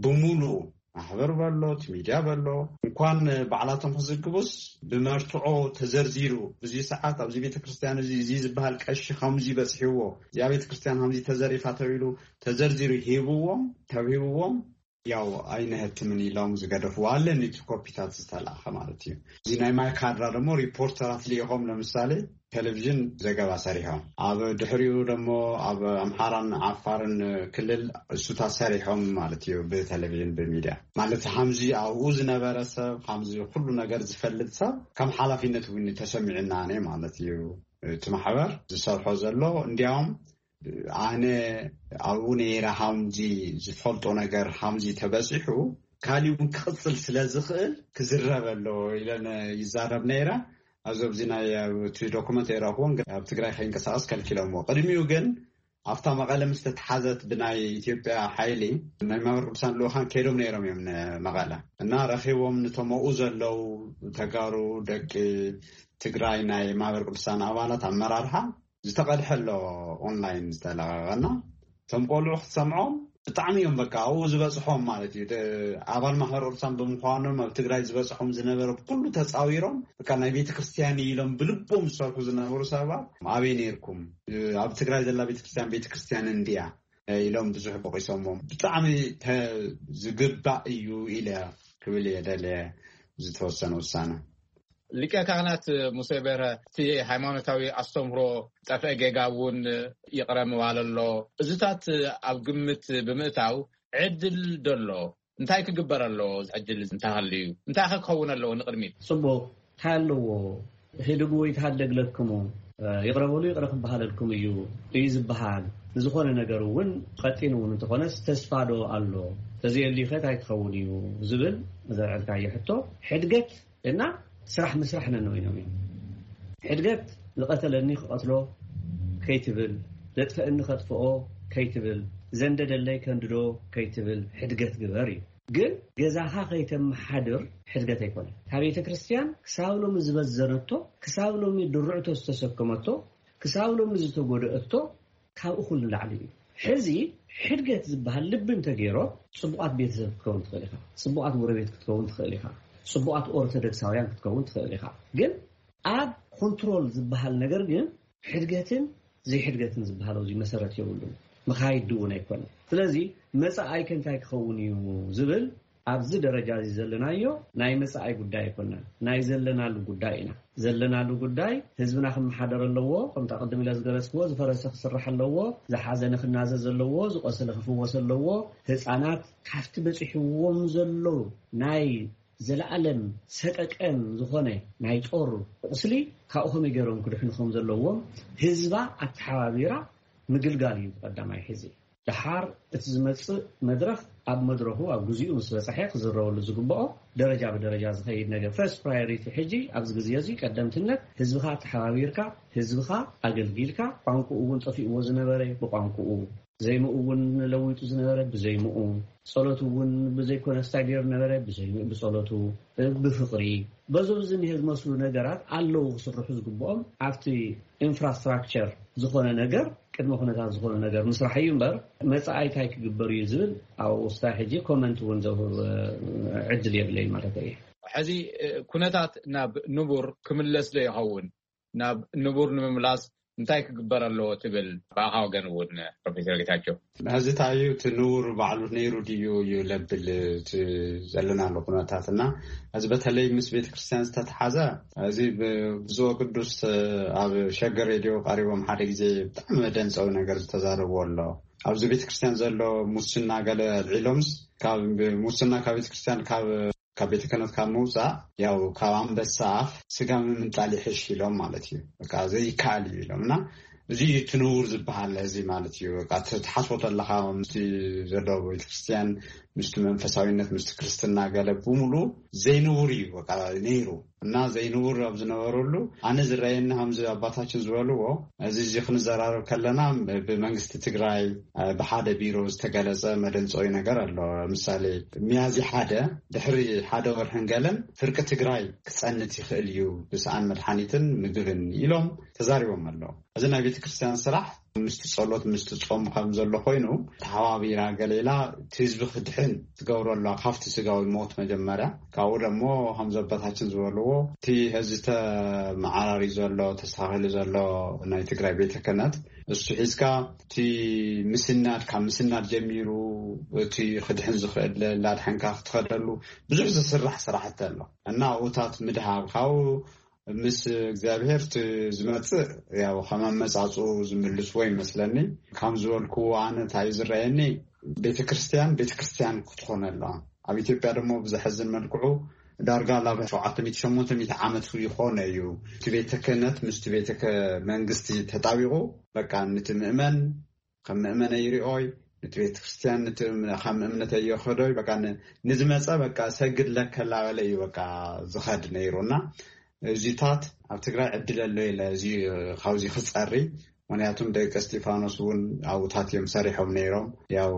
ብሙሉኡ ማሕበር በሎ፣ እቲ ሚድያ በሎ፣ እንኳን ባዕላቶም ክዝግቡስ ብመርትዖ ተዘርዚሩ፣ ብዙ ሰዓት ኣብዚ ቤተክርስትያን እዚ፣ እዚ ዝበሃል ቀሺ ከምዚ በፅሕዎ፣ እዚኣ ቤተክርስትያን ከምዚ ተዘሪፋ ተባሂሉ ተዘርዚሩ ሂብዎም፣ ተውሂብዎም፣ ያው ኣይነህትምን ኢሎም ዝገደፍዎ ኣለኒ፣ እቲ ኮፒታት ዝተላእኸ ማለት እዩ። እዚ ናይ ማይካድራ ደግሞ ሪፖርተራት ልኢኾም፣ ለምሳሌ ቴሌቪዥን ዘገባ ሰሪሖም፣ ኣብ ድሕሪኡ ደግሞ ኣብ ኣምሓራን ዓፋርን ክልል እሱታት ሰሪሖም ማለት እዩ፣ ብቴሌቪዥን ብሚድያ ማለት ሓምዚ ኣብኡ ዝነበረ ሰብ፣ ሓምዚ ኩሉ ነገር ዝፈልጥ ሰብ ከም ሓላፊነት እውን ተሰሚዕና ነ ማለት እዩ። እቲ ማሕበር ዝሰርሖ ዘሎ እንዲያውም ኣነ ኣብኡ ነይረ፣ ሓምዚ ዝፈልጦ ነገር ሓምዚ ተበፂሑ ካሊእ እውን ክቕፅል ስለ ዝኽእል ክዝረብ ኣሎ ኢለን ይዛረብ ነይረ። ኣብዚ ኣብዚ ናይ እቲ ዶኩመንት ኣይረእኽዎን፣ ግን ኣብ ትግራይ ከይንቀሳቐስ ከልኪሎምዎ። ቅድሚኡ ግን ኣብታ መቐለ ምስ ተተሓዘት ብናይ ኢትዮጵያ ሓይሊ ናይ ማህበረ ቅዱሳን ልኡኻን ከይዶም ነይሮም እዮም ንመቐለ እና ረኺቦም ንቶም ኣብኡ ዘለዉ ተጋሩ ደቂ ትግራይ ናይ ማህበረ ቅዱሳን ኣባላት ኣመራርሓ ዝተቐድሐ ኣሎ ኦንላይን ዝተለቐቐና። እቶም ቆልዑ ክትሰምዖም ብጣዕሚ እዮም በቃ ኣብኡ ዝበፅሖም ማለት እዩ። ደ- ኣባል ማሕበር ቅዱሳን ብምዃኖም ኣብ ትግራይ ዝበፅሖም ዝነበረ ብኩሉ ተፃዊሮም በቃ ናይ ቤተ ክርስቲያን ኢሎም ብልቦም ዝሰርሑ ዝነበሩ ሰባት ኣበይ ነይርኩም? ኣብ ትግራይ ዘላ ቤተ ክርስቲያን ቤተ ክርስቲያን እንድያ ኢሎም ብዙሕ ቦቂሶሞም። ብጣዕሚ ተ- ዝግባእ እዩ ኢለ ክብል እየ ደልየ ዝተወሰነ ውሳነ። ሊቀ ካህናት ሙሴ በርሀ፣ እቲ ሃይማኖታዊ ኣስተምህሮ ጠፍአ ጌጋ እውን ይቕረ ምባል ኣሎ። እዚታት ኣብ ግምት ብምእታው ዕድል ዶ ኣሎ? እንታይ ክግበር ኣለዎ? ዕድል እንተሃልዩ እንታይ ከ ክኸውን ኣለዎ ንቕድሚት? ጽቡቕ፣ እንታይ ኣለዎ? ህድጉ ይትሃደግ ለክሙ፣ ይቕረ በሉ ይቕረ ክበሃለልኩም እዩ እዩ ዝበሃል። ንዝኾነ ነገር እውን ቀጢን እውን እንተኾነስ ተስፋ ዶ ኣሎ? ተዘየልዩ ከ እንታይ ክኸውን እዩ ዝብል ዘልዐልካዮ ሕቶ፣ ሕድገት እና ስራሕ ምስራሕ ነነወይኖም እዮም። ሕድገት ዝቐተለኒ ክቐትሎ ከይትብል፣ ዘጥፈአኒ ከጥፍኦ ከይትብል፣ ዘንደደለይ ከንድዶ ከይትብል ሕድገት ግበር እዩ። ግን ገዛኻ ከይተመሓድር ሕድገት ኣይኮነን። እታ ቤተ ክርስቲያን ክሳብ ሎሚ ዝበዘነቶ፣ ክሳብ ሎሚ ድርዕቶ ዝተሰከመቶ፣ ክሳብ ሎሚ ዝተጎደአቶ ካብ እኹል ንላዕሊ እዩ። ሕዚ ሕድገት ዝበሃል ልቢ እንተገይሮ፣ ጽቡቓት ቤተሰብ ክትከውን ትኽእል ኢኻ፣ ጽቡቓት ጎረቤት ክትከውን ትኽእል ኢኻ፣ ጽቡቓት ኦርቶዶክሳውያን ክትከውን ትኽእል ኢኻ። ግን ኣብ ኮንትሮል ዝበሃል ነገር ግን ሕድገትን ዘይሕድገትን ዝበሃል ኣብዚ መሰረት የብሉን። መኻይድ እውን ኣይኮነን። ስለዚ መጻኢከ እንታይ ክኸውን እዩ ዝብል ኣብዚ ደረጃ እዚ ዘለናዮ ናይ መጻኢ ጉዳይ ኣይኮነን፣ ናይ ዘለናሉ ጉዳይ ኢና። ዘለናሉ ጉዳይ ህዝብና ክመሓደር ኣለዎ፣ ከምታ ቅድም ኢለ ዝገለጽክዎ፣ ዝፈረሰ ክስራሕ ኣለዎ፣ ዝሓዘነ ክናዘዝ ኣለዎ፣ ዝቆሰለ ክፍወስ ኣለዎ። ህጻናት ካብቲ በጺሕዎም ዘሎ ናይ ዘለኣለም ሰቀቀን ዝኾነ ናይ ጦር ቁስሊ ካብኡ ከመይ ገይሮም ክድሕኑ ከም ዘለዎም ህዝባ ኣተሓባቢራ ምግልጋል እዩ ቀዳማይ። ሕዚ ደሓር እቲ ዝመጽእ መድረኽ ኣብ መድረኹ ኣብ ግዚኡ ምስ በጽሐ ክዝረበሉ ዝግብኦ ደረጃ ብደረጃ ዝኸይድ ነገር። ፈርስት ፕራዮሪቲ ሕጂ ኣብዚ ግዜ እዚ ቀደምትነት ህዝብኻ ኣተሓባቢርካ ህዝብኻ ኣገልጊልካ ቋንቋኡ እውን ጠፊእዎ ዝነበረ ብቋንቋኡ ዘይምኡ እውን ለዊጡ ዝነበረ ብዘይምኡ ጸሎት እውን ብዘይኮነ ስታይ ገይሩ ነበረ ብዘይ ብጸሎቱ ብፍቕሪ በዞም ዝኒሀ ዝመስሉ ነገራት ኣለዉ ክስርሑ ዝግብኦም ኣብቲ ኢንፍራስትራክቸር ዝኾነ ነገር ቅድመ ኩነታት ዝኾነ ነገር ምስራሕ እዩ እምበር መጻኢ እንታይ ክግበር እዩ ዝብል ኣብ ውስታ ሕጂ ኮመንት እውን ዘውህብ ዕድል የብለይ ማለት እዩ። ሕዚ ኩነታት ናብ ንቡር ክምለስ ዶ ይኸውን? ናብ ንቡር ንምምላስ እንታይ ክግበር ኣለዎ ትብል? ብኣኻ ወገን እውን ፕሮፌሰር ጌታቸው። ሕዚ እንታይ እዩ እቲ ንውር ባዕሉ ነይሩ ድዩ እዩ ለብል እቲ ዘለናሉ ኩነታት እና፣ እዚ በተለይ ምስ ቤተክርስትያን ዝተተሓዘ፣ እዚ ብብፁዕ ቅዱስ ኣብ ሸገር ሬድዮ ቀሪቦም ሓደ ግዜ ብጣዕሚ መደንፀዊ ነገር ዝተዛረቡ ኣሎ። ኣብዚ ቤተክርስትያን ዘሎ ሙስና ገለ ኣልዒሎምስ፣ ካብ ሙስና ካብ ቤተክርስትያን ካብ ካብ ቤተ ክህነት ካብ ምውፃእ፣ ያው ካብ ኣንበሳ ኣፍ ስጋ ምምንጣል ይሕሽ ኢሎም ማለት እዩ። በቃ ዘይከኣል እዩ ኢሎም እና እዚ እዩ እቲ ንውር ዝበሃል እዚ ማለት እዩ። በቃ እቲ ትሓስቦ ተለኻ ምስቲ ዘሎ ቤተክርስትያን፣ ምስቲ መንፈሳዊነት፣ ምስቲ ክርስትና ገለ ብምሉ ዘይንውር እዩ በቃ ነይሩ። እና ዘይንውር ኣብ ዝነበረሉ ኣነ ዝረኣየኒ ከምዚ ኣባታችን ዝበልዎ እዚ እዚ ክንዘራረብ ከለና ብመንግስቲ ትግራይ ብሓደ ቢሮ ዝተገለጸ መደንጸዊ ነገር ኣሎ። ለምሳሌ ሚያዝያ ሓደ ድሕሪ ሓደ ወርሕን ገለን ፍርቂ ትግራይ ክጸንት ይኽእል እዩ ብሰኣን መድሓኒትን ምግብን ኢሎም ተዛሪቦም ኣለዉ። እዚ ናይ ቤተ ክርስቲያን ስራሕ ምስቲ ጸሎት ምስቲ ጾም ከም ዘሎ ኮይኑ ተሓባቢራ ገሌላ እቲ ህዝቢ ክድሕን ትገብሮ ኣለዋ ካብቲ ስጋዊ ሞት መጀመርያ። ካብኡ ደሞ ከም ዘቦታችን ዝበልዎ እቲ ሕዚ ተመዓራሪ ዘሎ ተስተኻኺሉ ዘሎ ናይ ትግራይ ቤተ ክህነት እሱ ሒዝካ እቲ ምስናድ ካብ ምስናድ ጀሚሩ እቲ ክድሕን ዝኽእል ላድሕንካ ክትኸደሉ ብዙሕ ዝስራሕ ስራሕቲ ኣሎ እና ኣብኡታት ምድሃብ ካብኡ ምስ እግዚኣብሔር እቲ ዝመጽእ ያው ከም ኣመጻጽኡ ዝምልስዎ ይመስለኒ። ከም ዝበልክዎ ኣነ እንታይ እዩ ዝረኣየኒ ቤተክርስትያን ቤተክርስትያን ክትኾን ኣለዋ። ኣብ ኢትዮጵያ ደግሞ ብዘሐዝን መልክዑ ዳርጋ ላብ ሸውዓተ ሚእቲ ሸሞንተ ሚእቲ ዓመት ይኾነ እዩ እቲ ቤተ ክህነት ምስቲ ቤተ መንግስቲ ተጣቢቑ በቃ ንቲ ምእመን ከም ምእመነ ይሪኦይ ንቲ ቤተ ክርስቲያን ንቲ ከም እምነተ ይኸዶይ በቃ ንዝመፀ በቃ ሰግድ ለከላበለ እዩ በቃ ዝኸድ ነይሩና እዚታት ኣብ ትግራይ ዕድል ኣሎ ኢለ እዚ ካብዚ ክፀሪ ምክንያቱም ደቂ እስጢፋኖስ እውን ኣብኡታት እዮም ሰሪሖም ነይሮም ያው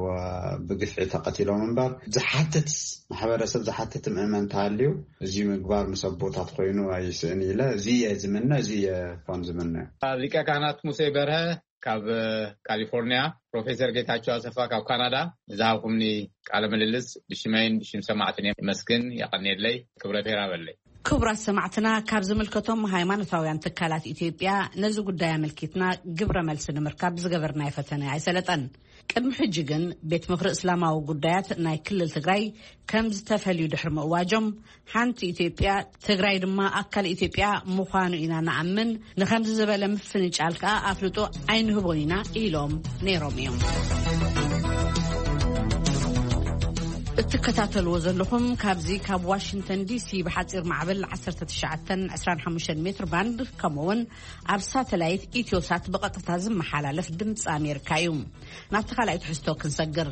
ብግፍዒ ተቐቲሎም እምበር ዝሓትት ማሕበረሰብ ዝሓትት ምእመን ተሃልዩ እዚ ምግባር ምስ ኣቦታት ኮይኑ ኣይስእን ኢለ እዚ እየ ዝምነ እዚ እየ ከም ዝምነ። ሊቀ ካህናት ሙሴ በርሀ ካብ ካሊፎርኒያ፣ ፕሮፌሰር ጌታቸው ኣሰፋ ካብ ካናዳ ንዝሃብኩምኒ ቃለ ምልልስ ብሽመይን ብሽም ሰማዕትን የመስግን። የቐንየለይ። ክብረት የራበለይ። ክቡራት ሰማዕትና ካብ ዝምልከቶም ሃይማኖታውያን ትካላት ኢትዮጵያ ነዚ ጉዳይ ኣመልኪትና ግብረ መልሲ ንምርካብ ዝገበርናዮ ፈተነ ኣይሰለጠን። ቅድሚ ሕጂ ግን ቤት ምኽሪ እስላማዊ ጉዳያት ናይ ክልል ትግራይ ከም ዝተፈልዩ ድሕሪ ምእዋጆም ሓንቲ ኢትዮጵያ ትግራይ ድማ ኣካል ኢትዮጵያ ምዃኑ ኢና ንኣምን፣ ንኸምዚ ዝበለ ምፍንጫል ከኣ ኣፍልጦ ኣይንህቦን ኢና ኢሎም ነይሮም እዮም። እትከታተልዎ ዘለኹም ካብዚ ካብ ዋሽንግተን ዲሲ ብሓፂር ማዕበል ዓሰርተ ትሽዓተ ዕስራን ሓሙሽተን ሜትር ባንድ ከምኡውን ኣብ ሳተላይት ኢትዮሳት ብቐጥታ ዝመሓላለፍ ድምፂ ኣሜሪካ እዩ። ናብቲ ካልኣይ ትሕዝቶ ክንሰግር።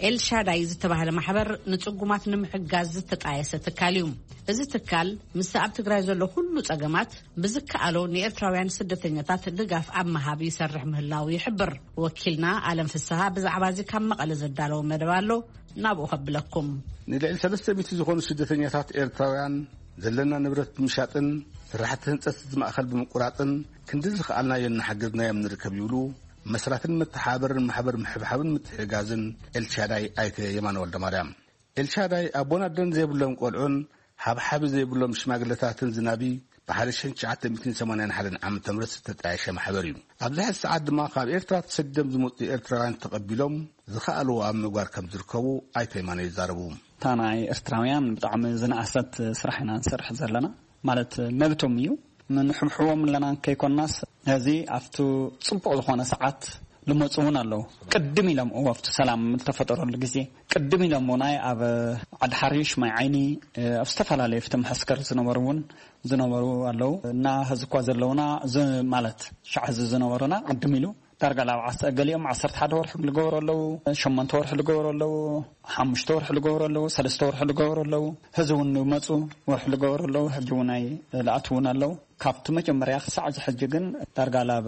ኤልሻዳይ ዝተባህለ ማሕበር ንጽጉማት ንምሕጋዝ ዝተጣየሰ ትካል እዩ። እዚ ትካል ምስቲ ኣብ ትግራይ ዘሎ ኩሉ ጸገማት ብዝከኣሎ ንኤርትራውያን ስደተኛታት ድጋፍ ኣብ ምሃብ ይሰርሕ ምህላው ይሕብር። ወኪልና ኣለም ፍስሃ ብዛዕባ እዚ ካብ መቐለ ዘዳለዎ መደብ ኣሎ፣ ናብኡ ከብለኩም። ንልዕሊ ሰለስተ ሚእቲ ዝኾኑ ስደተኛታት ኤርትራውያን ዘለና ንብረት ብምሻጥን ስራሕቲ ህንጸት እዚ ማእከል ብምቁራጽን ክንዲ ዝኸኣልናዮ እናሓገዝናዮም ንርከብ ይብሉ መስራትን መተሓባበርን ማሕበር ምሕብሓብን ምትሕግጋዝን ኤልሻዳይ ኣይተ የማነ ወልደማርያም። ኤልሻዳይ ኣቦን ኣደን ዘይብሎም ቆልዑን ሓብሓቢ ዘይብሎም ሽማግለታትን ዝናቢ ብሓደ ሽሕን ትሽዓተ ሚእትን ሰማንያን ሓደን ዓመተ ምህረት ዝተጣየሸ ማሕበር እዩ። ኣብዚ ሕዚ ሰዓት ድማ ካብ ኤርትራ ተሰዲዶም ዝመጹ ኤርትራውያን ተቐቢሎም ዝኸኣልዎ ኣብ ምግባር ከም ዝርከቡ ኣይተ የማነ ይዛረቡ። እታ ናይ ኤርትራውያን ብጣዕሚ ዝነኣሰት ስራሕ ኢና ንሰርሕ ዘለና። ማለት መብቶም እዩ። ንሕብሕቦም ኣለና ከይኮናስ፣ ነዚ ኣብቲ ጽቡቕ ዝኾነ ሰዓት ልመጹ እውን ኣለዉ። ቅድም ኢሎም፣ እዎ፣ ኣብቲ ሰላም ዝተፈጠረሉ ግዜ ቅድም ኢሎም እውን ኣብ ዓዲ ሓሪሽ፣ ማይ ዓይኒ፣ ኣብ ዝተፈላለዩ ፍትሒ መሐስከር ዝነበሩ እውን ዝነበሩ ኣለዉ። እና ሕዚ እኳ ዘለዉና፣ ዝ-፣ ማለት ሻዕ ሕዚ ዝነበሩና ቅድም ኢሉ ዳርጋ ላብ ዓስ-፣ ገሊኦም ዓሰርተ ሓደ ወርሒ ልገብሩ ኣለዉ፣ ሸሞንተ ወርሒ ልገብሩ ኣለዉ፣ ሓሙሽተ ወርሒ ልገብሩ ኣለዉ፣ ሰለስተ ወርሒ ልገብሩ ኣለዉ። ሕዚ እውን ንመጹ ወርሒ ልገብሩ ኣለዉ፣ ሕጂ እውን ኣይ-፣ ልኣትዉ እውን ኣለዉ። ካብቲ መጀመርያ ክሳዕ እዚ ሕጂ ግን ዳርጋ ላብ፣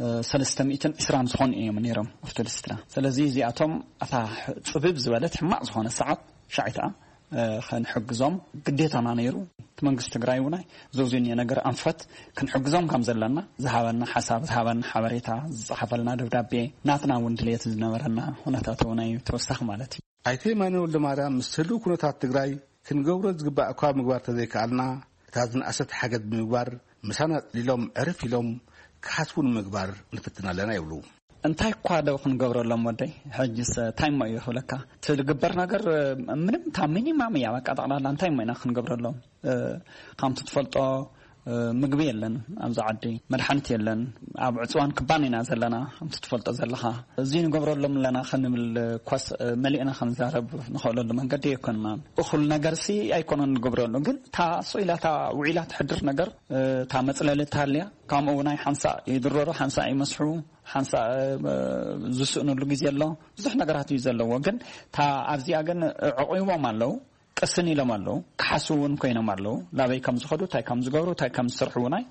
እ፣ ሰለስተ ሚእትን ዕስራን ዝኾኑ እዮም ነይሮም ኣብቲ ሊስትራ። ስለዚ እዚኣቶም ኣታ ሕ-፣ ጽብብ ዝበለት ሕማቕ ዝኾነ ሰዓት ሻዕ እቲኣ እ፣ ክንሕግዞም ግዴታና ነይሩ። እቲ መንግስቲ ትግራይ እውን ኣይ፣ እዚ ኣብዚ እኒኦ ነገር ኣንፈት ክንሕግዞም ከም ዘለና ዝሃበና ሓሳብ፣ ዝሃበና ሓበሬታ፣ ዝጸሓፈልና ደብዳቤ፣ ናትና እውን ድልየት ዝነበረና ኩነታት እውን ኣይ ተወሳኺ ማለት እዩ። ኣይተ የማነ ወልደማርያም፣ ምስ ህልው ኩነታት ትግራይ ክንገብሮ ዝግባእ እኳ ምግባር ተዘይከኣልና፣ እታ ዝነኣሰት ሓገዝ ብምግባር፣ ምሳና ጽሊሎም፣ ዕርፍ ኢሎም፣ ክሓስቡ ንምግባር ንፍትን ኣለና ይብሉ። እንታይ እኳ ዶ ክንገብረሎም ወደይ? ሕጅስ እንታይ እሞ እዩ ክብለካ? እቲ ዝግበር ነገር ምንም፣ እታ ሚኒማም እያ። በቃ ጠቕላላ እንታይ እሞ ኢና ክንገብረሎም? ከምቲ ትፈልጦ ምግቢ የለን ኣብዚ ዓዲ፣ መድሓኒት የለን። ኣብ ዕፅዋን ክባን ኢና ዘለና። ከምቲ ትፈልጦ ዘለኻ፣ እዚ ንገብረሎም ኣለና ክንብል ኮስ መሊእና ክንዛረብ ንኽእለሉ መንገዲ ኣይኮንናን። እኹል ነገርሲ ኣይኮነን ንገብረሉ፣ ግን እታ ስኢላ እታ ውዒላ ትሕድር ነገር፣ እታ መፅለሊ እትሃልያ፣ ከምኡ ናይ ሓንሳእ ይድረሩ፣ ሓንሳእ ይመስሑ፣ ሓንሳእ ዝስእንሉ ግዜ ኣሎ። ብዙሕ ነገራት እዩ ዘለዎ። ግን እታ ኣብዚኣ ግን ዕቑቦም ኣለዉ፣ ቅስን ኢሎም ኣለዉ፣ ክሓስቡ እውን ኮይኖም ኣለዉ። ናበይ ከም ዝኸዱ፣ እንታይ ከም ዝገብሩ፣ እንታይ ከም ዝሰርሑ እውን ኣይ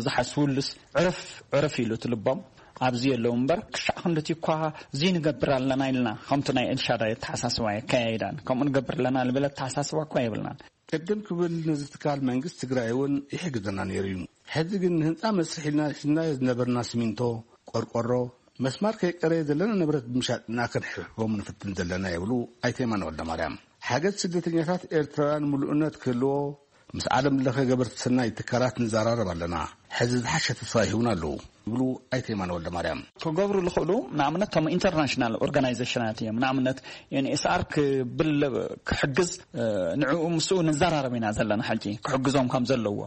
ዝሓስቡሉስ፣ ዕርፍ ዕርፍ ኢሉ እቲ ልቦም ኣብዚ የለዉ እምበር፣ ክሻዕ ክንድቲ እኳ እዚ ንገብር ኣለና ኢልና ከምቲ ናይ ኤልሻዳይ ኣተሓሳስባ የከያይዳን፣ ከምኡ ንገብር ኣለና ልብል ኣተሓሳስባ እኳ የብልናን። ቅድም ክብል ነዚ ትካል መንግስቲ ትግራይ እውን ይሕግዘና ነይሩ እዩ። ሕዚ ግን ንህንፃ መስርሕ ኢልና ሒዝናዮ ዝነበርና ሲሚንቶ፣ ቆርቆሮ፣ መስማር ከይቀረየ ዘለና ንብረት ብምሻጥና ክንሕቦም ንፍትን ዘለና ይብሉ ኣይተ የማነ ወልደማርያም። ሓገዝ ስደተኛታት ኤርትራውያን ምሉእነት ክህልዎ ምስ ዓለም ለኸ ገበርቲ ሰናይ ትካላት ንዘራረብ ኣለና። ሕዚ ዝሓሸ ተስፋ ይህቡና ኣለዉ ይብሉ ኣይተ የማነ ወልደማርያም። ክገብሩ ዝኽእሉ ንኣብነት እቶም ኢንተርናሽናል ኦርጋናይዜሽናት እዮም። ንኣብነት ኤንኤስኣር ክብል ክሕግዝ፣ ንዕኡ ምስኡ ንዘራረብ ኢና ዘለና። ሕጂ ክሕግዞም ከም ዘለዎ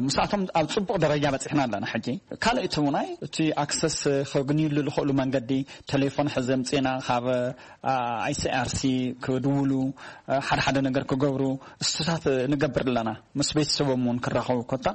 ምስኣቶም ኣብ ፅቡቕ ደረጃ በፂሕና ኣለና። ሕጂ ካልእ እቲ ውናይ እቲ ኣክሰስ ከግንዩሉ ዝኽእሉ መንገዲ፣ ቴሌፎን ሕዚ ኣምፅእና ካብ ኣይሲኣርሲ ክድውሉ፣ ሓደ ሓደ ነገር ክገብሩ እሱታት ንገብር ኣለና። ምስ ቤተሰቦም እውን ክራኸቡ ኮታ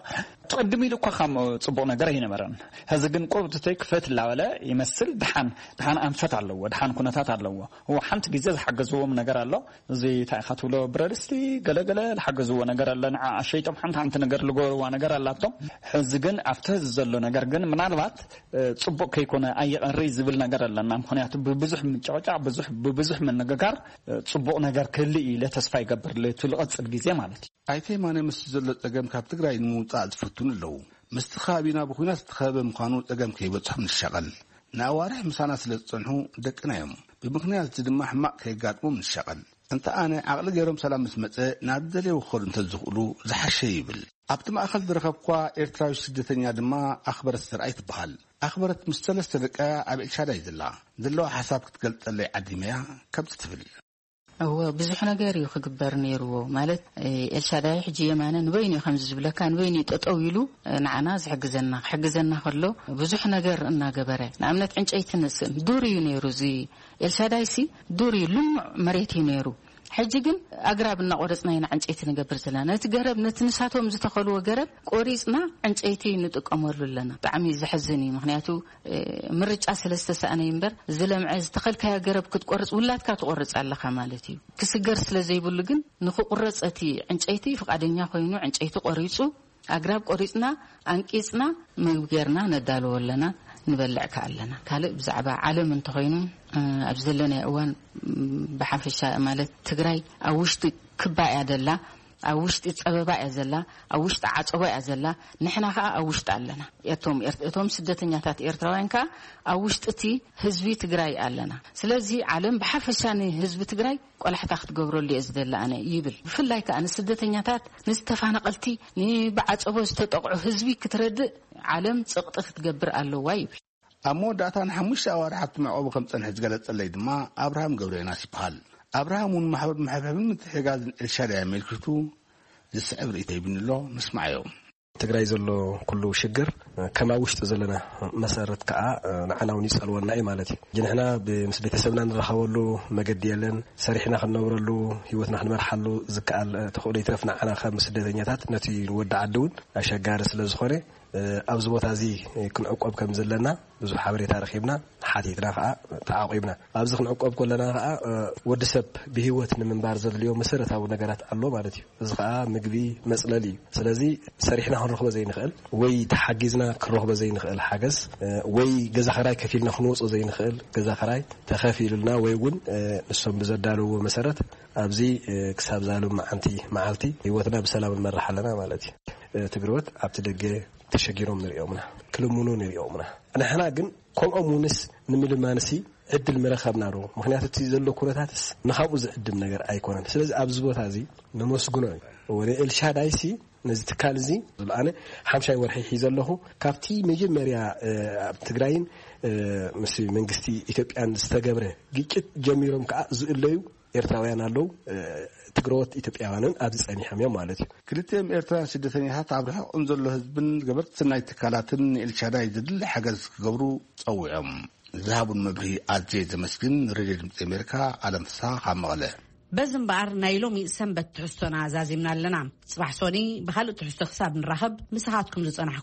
ትቕድም ኢሉ እኳ ከም ፅቡቕ ነገር ኣይነበረን። ሕዚ ግን ቁርብትተይ ክፈት እናበለ ይመስል። ድሓን ድሓን ኣንፈት ኣለዎ፣ ድሓን ኩነታት ኣለዎ። እዎ ሓንቲ ግዜ ዝሓገዝዎም ነገር ኣሎ። እዚ እንታይ ኢኻ ትብሎ፣ ብረድስቲ ገለገለ ዝሓገዝዎ ነገር ኣለ። ንዓ ኣሸይጦም ሓንቲ ሓንቲ ነገር ዝገበርዋ ነገር ኣላቶም። ሕዚ ግን ኣብቲ ሕዚ ዘሎ ነገር ግን ምናልባት እ፣ ጽቡቕ ከይኮነ ኣይቐሪ ዝብል ነገር ኣለና። ምኽንያቱ ብብዙሕ ምጭቕጫቕ፣ ብዙሕ፣ ብብዙሕ ምንግጋር፣ እ፣ ጽቡቕ ነገር ክህልእ እዩ ኢለ ተስፋ ይገብር፣ ለቱ ልቐጽል ግዜ ማለት እዩ። ኣይተ የማነ ምስቲ ዘሎ ጸገም ካብ ትግራይ ንምውጻእ ዝፍትኑ ኣለዉ። ምስቲ ከባቢና ብኹናት ዝተኸበበ ምዃኑ ጸገም ከይበጽሖም ንሻቐል። ንኣዋርሕ ምሳና ስለ ዝጸንሑ ደቅና እዮም። ብምኽንያት እዚ ድማ ሕማቕ ከየጋጥሞም ንሻቐል። እንተ ኣነ ዓቕሊ ገይሮም ሰላም ምስ መጸ ናብ ዝደለይዎ ክኸዱ እንተዝኽእሉ ዝሓሸ ይብል። ኣብቲ ማእኸል ዝረኸብኳ ኤርትራዊ ስደተኛ ድማ ኣኽበረት ዘርኣይ ትበሃል። ኣኽበረት ምስ ሰለስተ ደቃ ኣብ ኤልሻዳይ ዘላ ዘለዋ ሓሳብ ክትገልጸለይ ዓዲመያ ከምዚ ትብል። እወ፣ ብዙሕ ነገር እዩ ክግበር ነይርዎ። ማለት፣ እ፣ ኤልሻዳይ ሕጂ የማነ ንበይኑ እዩ ከምዚ ዝብለካ፣ ንበይኑ እዩ ጠጠው ኢሉ፣ እ፣ ንዓና ዝሕግዘና። ክሕግዘና ከሎ ብዙሕ ነገር እናገበረ፣ ንኣብነት ዕንጨይቲ ነስእን ዱር እዩ ነይሩ። እዚ ኤልሻዳይ ሲ ዱር እዩ፣ ልሙዕ መሬት እዩ ነይሩ። ሕጂ ግን ኣግራብ እናቆረጽና ኢና ዕንጨይቲ ንገብር ዘለና። ነቲ ገረብ፣ ነቲ ንሳቶም ዝተኸልዎ ገረብ ቆሪጽና ዕንጨይቲ ንጥቀመሉ ኣለና። ብጣዕሚ ዘሕዝን እዩ። ምኽንያቱ፣ እ፣ ምርጫ ስለ ዝተሳእነ እዩ እምበር፣ ዝለምዐ ዝተኸልካዮ ገረብ ክትቆርጽ ውላድካ ትቆርጽ ኣለኻ ማለት እዩ። ክስገር ስለ ዘይብሉ ግን ንኽቁረጽ እቲ ዕንጨይቲ ፍቓደኛ ኮይኑ ዕንጨይቲ ቆሪጹ፣ ኣግራብ ቆሪጽና፣ ኣንቂጽና፣ ምግቢ ጌርና ነዳልዎ ኣለና፣ ንበልዕ ከኣ ኣለና። ካልእ ብዛዕባ ዓለም እንተኾይኑ፣ እ፣ ኣብ ዘለናዮ እዋን፣ ም፣ ብሓፈሻ ማለት ትግራይ ኣብ ውሽጢ ክባ እያ ዘላ፣ ኣብ ውሽጢ ጸበባ እያ ዘላ፣ ኣብ ውሽጢ ዓጸቦ እያ ዘላ። ንሕና ከኣ ኣብ ውሽጢ ኣለና። እቶም ኤርት-፣ እቶም ስደተኛታት ኤርትራውያን ከኣ ኣብ ውሽጢ እቲ ህዝቢ ትግራይ ኣለና። ስለዚ ዓለም ብሓፈሻ ንህዝቢ ትግራይ ቆላሕታ ክትገብረሉ እየ ዝደሊ ኣነ ይብል። ብፍላይ ከኣ ንስደተኛታት፣ ንዝተፋናቐልቲ፣ ንብዓጸቦ ዝተጠቕዑ ህዝቢ ክትረድእ ዓለም ጽቕጢ ክትገብር ኣለዋ ይብል። ኣብ መወዳእታ ንሓሙሽተ ኣዋርሕ ኣብቲ መዕቆቢ ከም ዝጸንሐ ዝገለጸለይ ድማ ኣብርሃም ገብረዮናስ ይበሃል። ኣብርሃም እውን ማሕበር ምሕብሕብን ምትሕግጋዝን ኤልሻዳይ ኣመልኪቱ ዝስዕብ ርእይቶ ሂቡኒ ኣሎ። ንስማዓዮ። ትግራይ ዘሎ ኩሉ ሽግር ከም ኣብ ውሽጢ ዘለና መሰረት ከዓ ንዓና እውን ይፀልወና እዩ ማለት እዩ። ሕጂ ንሕና ብ-፣ ምስ ቤተሰብና ንራኸበሉ መገዲ የለን። ሰሪሕና ክንነብረሉ፣ ህይወትና ክንመርሓሉ ዝከኣል ተኽእሎ ይትረፍ ንዓና ከም ስደተኛታት ነቲ ንወዲ ዓዲ እውን ኣሸጋሪ ስለ ዝኾነ፣ ኣብዚ ቦታ እዚ ክንዕቆብ ከም ዘለና ብዙሕ ሓበሬታ ረኺብና፣ ሓቲትና ከዓ ተዓቂብና። ኣብዚ ክንዕቆብ ከለና ከዓ፣ ወዲ ሰብ ብህይወት ንምንባር ዘድልዮ መሰረታዊ ነገራት ኣሎ ማለት እዩ። እዚ ከዓ ምግቢ፣ መፅለሊ እዩ። ስለዚ ሰሪሕና ክንረኽቦ ዘይንኽእል ወይ ተሓጊዝና ክንረኽቦ ዘይንኽእል ሓገዝ፣ ወይ ገዛ ኸራይ ከፊልና ክንወፅኦ ዘይንኽእል ገዛ ኸራይ ተኸፊሉልና ወይ እውን ንሶም ብዘዳለውዎ መሰረት ኣብዚ ክሳብ ዛሎም መዓንቲ መዓልቲ ህይወትና ብሰላም ንመርሕ ኣለና ማለት እዩ። ትግርወት ኣብቲ ደገ ተሸጊሮም ንሪኦምና፣ ክልምኑ ንሪኦምና። ንሕና ግን ከምኦም ውንስ ንምልማንሲ ዕድል ምረኸብና ዶ? ምኽንያቱ እቲ ዘሎ ኩነታትስ ንኻብኡ ዝዕድም ነገር ኣይኮነን። ስለዚ ኣብዚ ቦታ እዚ ነመስግኖ እዩ። ወደ ኤልሻዳይሲ ነዚ ትካል እዚ ኣነ ሓምሻይ ወርሒ ሒዘ ኣለኹ። ካብቲ መጀመርያ ኣብ ትግራይን ምስ መንግስቲ ኢትዮጵያን ዝተገብረ ግጭት ጀሚሮም ከዓ ዝእለዩ ኤርትራውያን ኣለዉ። ትግረዎት ኢትዮጵያውያንን ኣብዚ ጸኒሖም እዮም ማለት እዩ። ክልቲኦም ኤርትራውያን ስደተኛታት ኣብ ርሑቕ እንዘሎ ህዝብን ገበርቲ ሰናይ ትካላትን ንኤልሻዳይ ዘድሊ ሓገዝ ክገብሩ ጸዊዖም። ዝሃቡን መብርሂ ኣዝየ ዘመስግን። ሬድዮ ድምፂ ኣሜሪካ፣ ኣለም ፍስሓ ካብ መቐለ። በዚ እምበኣር ናይ ሎሚ ሰንበት ትሕዝቶና ዛዚምና ኣለና። ጽባሕ ሶኒ ብኻልእ ትሕዝቶ ክሳብ ንራኸብ፣ ምሳኻትኩም ዝጸናሕኩም